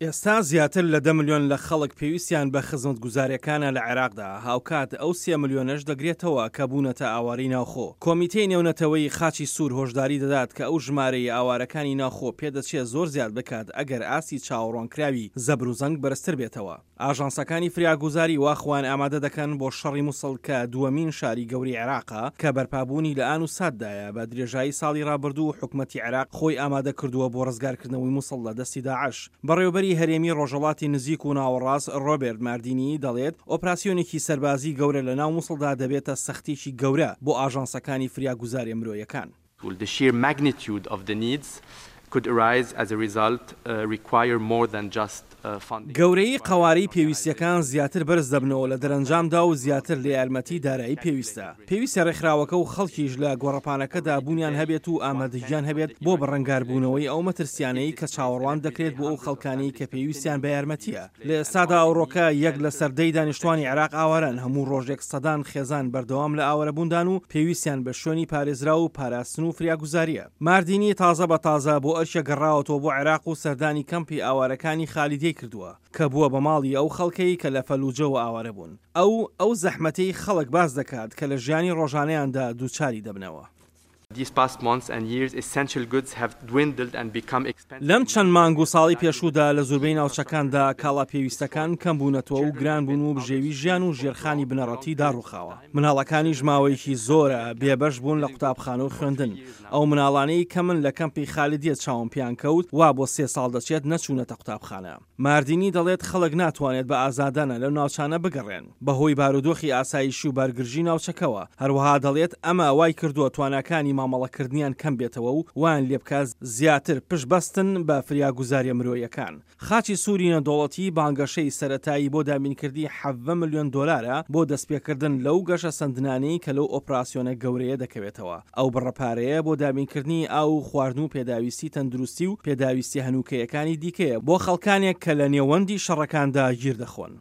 ئێستا زیاتر لە دە ملیۆن لە خەڵک پێویستیان بە خزمەتگوزارییەکانە لە عێراقدا، هاوکات ئەو سێ ملیۆنەش دەگرێتەوە کە بوونەتە ئاوارەی ناوخۆ. کۆمیتەی نێونەتەوەیی خاچی سوور هۆشداری دەدات کە ئەو ژمارەی ئاوارەکانی ناوخۆ پێدەچێت زۆر زیاد بکات ئەگەر ئاستی چاوەڕوانکراوی زەبروزەنگ بەرزتر بێتەوە. ئاژانسەکانی فریاگوزاری وا خۆیان ئامادە دەکەن بۆ شەڕی موسڵ کە دووەمین شاری گەورەی عێراقە کە بەرپابوونی لە ئان و ساتدایە، بە درێژایی ساڵی ڕابردوو حکومەتی عێراق خۆی ئامادە کردووە بۆ ڕزگارکردنەوەی موسڵ لە دەستی داعش. بەڕێوەبەری هەرێمی ڕۆژهەڵاتی نزیک و ناوەڕاست ڕۆبێرت ماردینی دەڵێت ئۆپراسیۆنێکی سەربازی گەورە لە ناو موسڵدا دەبێتە سەختیەکی گەورە بۆ ئاژانسەکانی فریاگوزاریە مرۆیەکان. The sheer magnitude of the needs could arise as a result require more than just funding. گەورەیی قەوارەی پێویستییەکان زیاتر بەرز دەبنەوە لە دەرەنجامدا و زیاتر لە یارمەتی دارایی پێویستە. پێویستە رێکخراوەکە و خەڵکیش لە گۆڕەپانەکەدا بوونیان هەبێت و ئامادەگیان هەبێت بۆ بەڕەنگاربوونەوەی ئەو مەترسیانەی کە چاوەڕوان دەکرێت بۆ ئەو خەڵکانەی کە پێویستیان بە یارمەتییە. لە ئێستادا ئەوڕۆکە یەک لەسەر دەی دانیشتوانی عێراق ئاوارەن، هەموو ڕۆژێک سەدان خێزان بەردەوام لە ئاوارەبووندان و پێویستیان بە شوێنی پارێزراو و پاراستن و فریاگوزارییە. ماردینی تازە بە تازە بۆ ئەرکێک گەڕاوەتەوە بۆ عێراق و سەردانی کەمپی ئاوارەکانی خالیدیەی کردووە، کە بووە بە ماڵی ئەو خەڵکەی کە لە فەلوجەوە ئاوارە بوون. ئەو، ئەو زەحمەتەی خەڵک باس دەکات کە لە ژیانی ڕۆژانەیاندا دووچاری دەبنەوە. لەم چەند مانگ و ساڵەی پێشوودا لە زوربەی ناوچەکاندا کاڵا پێویستەکان کەم بوونەتەوە و گران بوون و بژێوی ژیان و ژێرخانی بنەڕەتی داڕووخاوە. مناڵەکانیش ماوەیەکی زۆرە بێبەش بوون لە قوتابخانە و خوێندن. ئەو مناڵانەی کە من لە کەمپی خالیدیە چاوم پێیان کەوت وا بۆ سێ ساڵ دەچێت نەچوونەتە قوتابخانە. ماردینی دەڵێت خەڵک ناتوانێت بە ئازادانە لەو ناوچانە بگەڕێن بەهۆی بارودۆخی ئاسایشی و بارگرژی ناوچەکەوە، هەروەها دەڵێت ئەمە وایکردووە تواناکانی مامەڵەکردنیان کەم بێتەوە و وایان لێبکات زیاتر پشت بەستن بە فریاگوزاریە مرۆیەکان. خاچی سووری نێودەوڵەتی بانگەشەی سەرەتایی بۆ دابینکردنی 17 ملیۆن دۆلارە بۆ دەستپێکردن لەو گەشەسەندنانەی کە لەو ئۆپراسیۆنە گەورەیە دەکەوێتەوە. ئەو بڕە پارەیە بۆ دابینکردنی ئاو و خواردن و پێداویستی تەندروستی و پێداویستیە هەنووکەیەکانی دیکەیە بۆ خەڵکانێک کە لە نێوەندی شەڕەکاندا گیر دەخۆن.